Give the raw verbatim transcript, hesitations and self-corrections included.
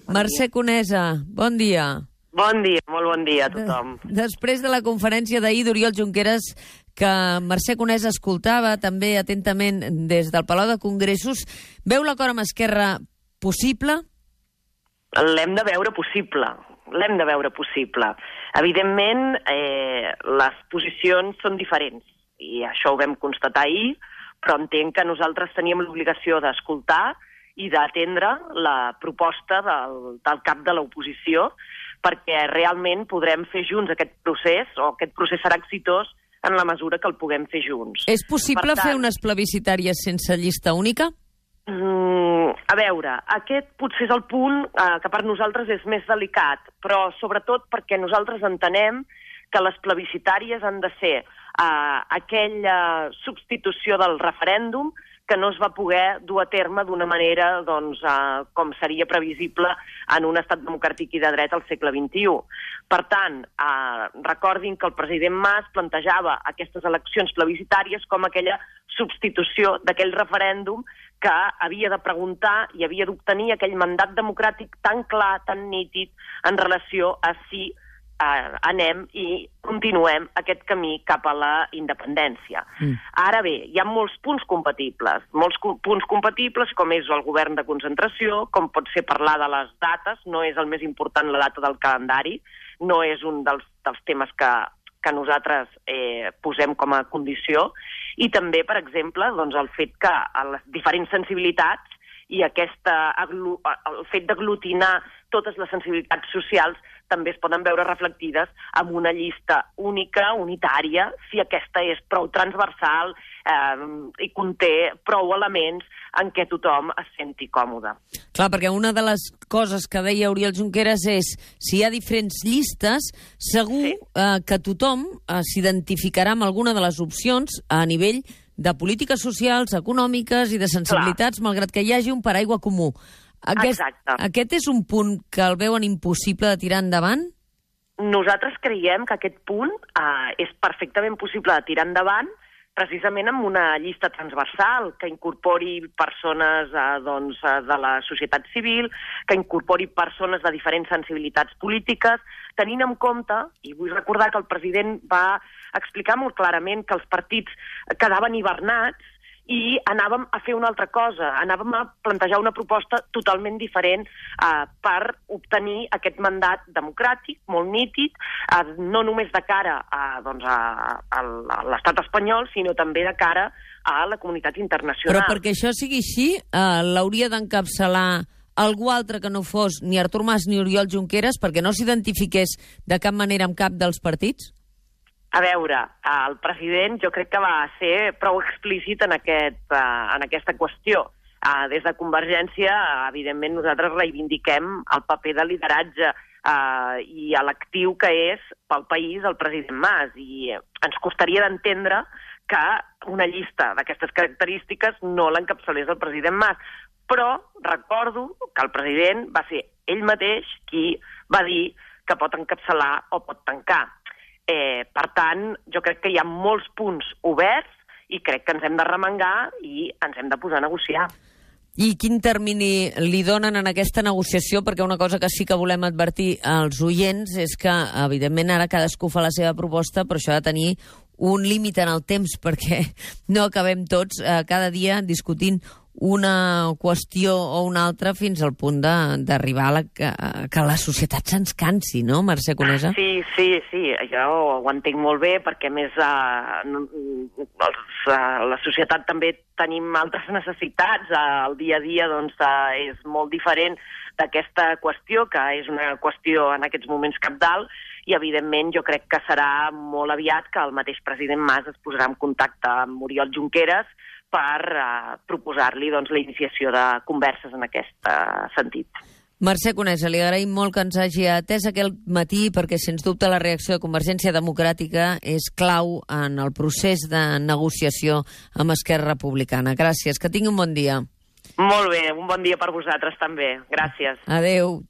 Mercè Conesa, bon dia. Bon dia, molt bon dia a tothom. De, després de la conferència d'ahir d'Oriol Junqueras, que Mercè Conesa escoltava també atentament des del Palau de Congressos, veu l'acord amb Esquerra possible? L'hem de veure possible, l'hem de veure possible. Evidentment, eh, les posicions són diferents, i això ho vam constatar ahir, però entenc que nosaltres teníem l'obligació d'escoltar i d'atendre la proposta del, del cap de l'oposició, perquè realment podrem fer junts aquest procés, o aquest procés serà exitós en la mesura que el puguem fer junts. És possible tant, fer unes plebiscitàries sense llista única? Mm, a veure, aquest potser és el punt eh, que per nosaltres és més delicat, però sobretot perquè nosaltres entenem que les plebiscitàries han de ser eh, aquella substitució del referèndum que no es va poder dur a terme d'una manera doncs, eh, com seria previsible en un estat democràtic i de dret al segle vint-i-u. Per tant, eh, recordin que el president Mas plantejava aquestes eleccions plebiscitàries com aquella substitució d'aquell referèndum que havia de preguntar i havia d'obtenir aquell mandat democràtic tan clar, tan nítid, en relació a si Uh, anem i continuem aquest camí cap a la independència. Mm. Ara bé, hi ha molts punts compatibles, molts co punts compatibles com és el govern de concentració, com pot ser parlar de les dates, no és el més important la data del calendari, no és un dels, dels temes que, que nosaltres eh, posem com a condició, i també, per exemple, doncs, el fet que les diferents sensibilitats i aquesta, el fet d'aglutinar totes les sensibilitats socials també es poden veure reflectides en una llista única, unitària, si aquesta és prou transversal eh, i conté prou elements en què tothom es senti còmode. Clar, perquè una de les coses que deia Oriol Junqueras és si hi ha diferents llistes, segur sí. eh, que tothom eh, s'identificarà amb alguna de les opcions a nivell de polítiques socials, econòmiques i de sensibilitats, Clar. malgrat que hi hagi un paraigua comú. Aquest, aquest és un punt que el veuen impossible de tirar endavant? Nosaltres creiem que aquest punt eh, és perfectament possible de tirar endavant precisament amb una llista transversal que incorpori persones eh, doncs, de la societat civil, que incorpori persones de diferents sensibilitats polítiques, tenint en compte, i vull recordar que el president va explicar molt clarament que els partits quedaven hibernats i anàvem a fer una altra cosa, anàvem a plantejar una proposta totalment diferent eh, per obtenir aquest mandat democràtic, molt nítid, eh, no només de cara a, doncs, a, a, a l'estat espanyol, sinó també de cara a la comunitat internacional. Però perquè això sigui així, eh, l'hauria d'encapçalar algú altre que no fos ni Artur Mas ni Oriol Junqueras, perquè no s'identifiqués de cap manera amb cap dels partits? A veure, el president jo crec que va ser prou explícit en, aquest, uh, en aquesta qüestió. Uh, des de Convergència, uh, evidentment, nosaltres reivindiquem el paper de lideratge uh, i l'actiu que és pel país el president Mas. I ens costaria d'entendre que una llista d'aquestes característiques no l'encapçalés el president Mas. Però recordo que el president va ser ell mateix qui va dir que pot encapçalar o pot tancar. Eh, per tant, jo crec que hi ha molts punts oberts i crec que ens hem de remengar i ens hem de posar a negociar. I quin termini li donen en aquesta negociació? Perquè una cosa que sí que volem advertir als oients és que, evidentment, ara cadascú fa la seva proposta, però això ha de tenir un límit en el temps, perquè no acabem tots eh, cada dia discutint una qüestió o una altra fins al punt d'arribar a la, que, que la societat se'ns cansi, no, Mercè Conesa? Sí, sí, sí, jo ho entenc molt bé, perquè a més eh, els, eh, la societat també tenim altres necessitats, eh, el dia a dia doncs, eh, és molt diferent d'aquesta qüestió, que és una qüestió en aquests moments cabdal, i evidentment jo crec que serà molt aviat que el mateix president Mas es posarà en contacte amb Oriol Junqueras per uh, proposar-li doncs, la iniciació de converses en aquest uh, sentit. Mercè Conesa, li agraïm molt que ens hagi atès aquest matí, perquè sens dubte la reacció de Convergència Democràtica és clau en el procés de negociació amb Esquerra Republicana. Gràcies, que tingui un bon dia. Molt bé, un bon dia per vosaltres també. Gràcies. Adéu.